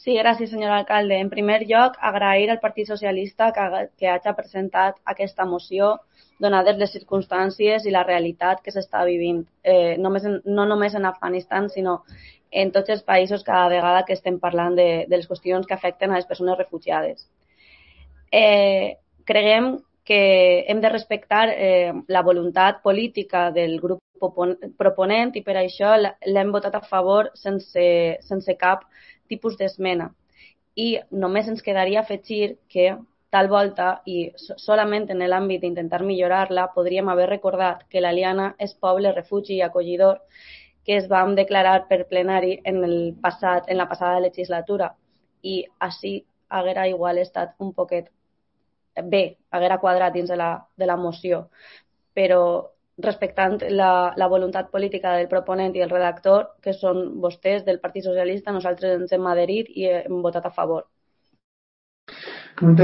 Sí, gràcies, senyor alcalde. En primer lloc, agrair al Partit Socialista que hagi presentat aquesta moció donades les circumstàncies i la realitat que s'està vivint, no només en Afganistan, sinó en tots els països cada vegada que estem parlant de les qüestions que afecten a les persones refugiades. Creiem que hem de respectar la voluntat política del grup proponent i per això l'hem votat a favor sense cap tipus d'esmena. I només ens quedaria afegir que tal volta, i solament en l'àmbit d'intentar millorar-la, podríem haver recordat que l'Aliana és poble, refugi i acollidor que es vam declarar per plenari en la passada legislatura, i així haguera igual estat un poquet bé, haguera quadrat dins de la moció, però respectant la voluntat política del proponent i el redactor, que són vostès del Partit Socialista, nosaltres ens hem adherit i hem votat a favor.